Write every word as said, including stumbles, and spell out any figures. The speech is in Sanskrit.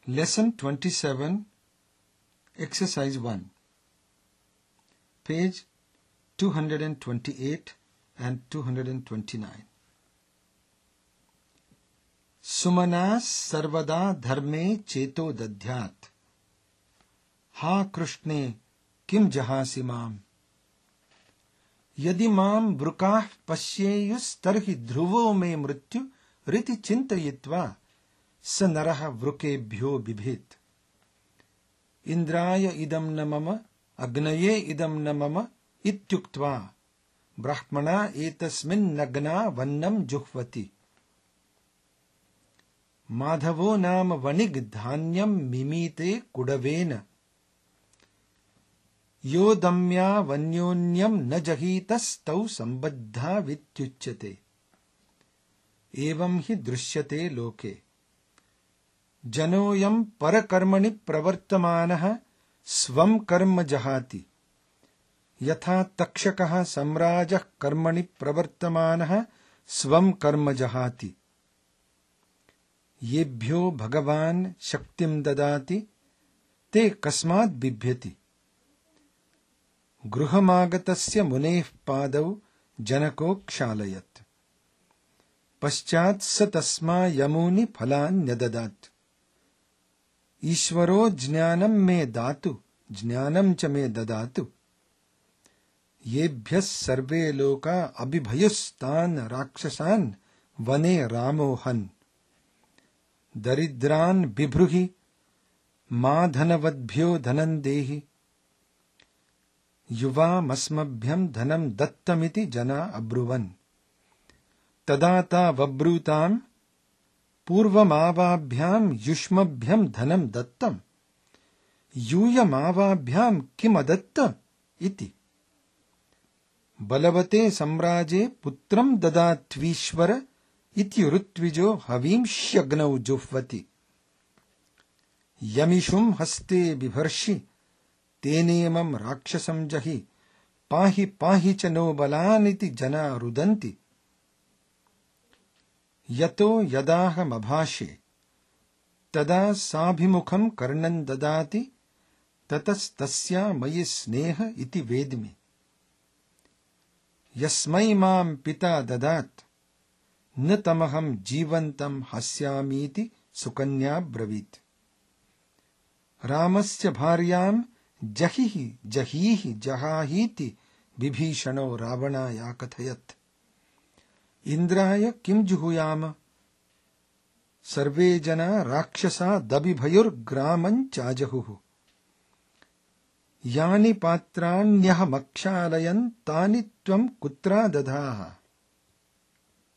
Lesson twenty-seven, Exercise one, page two hundred twenty-eight and two hundred twenty-nine. Sumanas sarvada dharme cheto dadhyat. Ha Krishne kim jahasi mam. Yadi mam vrukah pashyeyus tarhi dhruvo me mrityu riti chintayitva स नरः वृकेभ्यो बिभेत्. इंद्राय इदं न मम अग्नये इदं न मम इत्युक्त्वा ब्रह्मणा एतस्मिन्नग्ना वन्नं जुह्वति. माधवो नाम वणिग् धान्यं मिमीते कुडवेन. यो दम्या वन्योन्यं न जहीतस्तौ सम्बद्धा वित्युच्यते. एवं हि दृश्यते लोके. जनोऽयं परकर्मणि प्रवर्तमानः स्वं कर्म जहाति. यथा तक्षकः सम्राजः कर्मणि प्रवर्तमानः स्वं कर्म जहाति. येभ्यो भगवान् शक्तिं ददाति ते कस्मात् बिभ्यति. गृहमागतस्य मुनेः पादौ जनको क्षालयत्. पश्चात् स तस्मा यमूनि फलान्यददात्. ईश्वरो ज्ञानं मे दातु ज्ञानं च मे ददातु. येभ्यः सर्वे लोका अभिभयुस्तान् राक्षसान् वने रामोहन्. दरिद्रान् बिभ्रूहि मा धनवद्भ्यो धनं देहि. युवामस्मभ्यं धनं दत्तमिति जना अब्रुवन्. तदा ता वब्रूताम् पूर्वमावाभ्यां युष्मभ्यं धनं दत्तम्. यूयमावाभ्यां किमदत्त इति. बलवते सम्राजे पुत्रं ददात्वीश्वर इति ऋत्विजो हवींष्यग्नौ जुह्वति. यमिषुं हस्ते बिभर्षि तेनेमं राक्षसं जहि. पाहि पाहि च नो बलानिति जना रुदन्ति. यतो यदाहमभाषे तदा साभिमुखं कर्णं ददाति ततस्तस्या मयि स्नेह इति वेद्मि. यस्मै मां पिता ददात् न तमहं जीवन्तं हस्यामीति सुकन्या ब्रवीत्. रामस्य भार्यां जहिहि जहीहि जहाहीति विभीषणो रावणाय कथयत्. इंद्राय किं जुहुयाम. सर्वे जना राक्षसा दबिभयुर्ग्रामं चाजहुः. यानि पात्राण्यहमक्षालयन् तानि त्वं कुत्रा दधाः.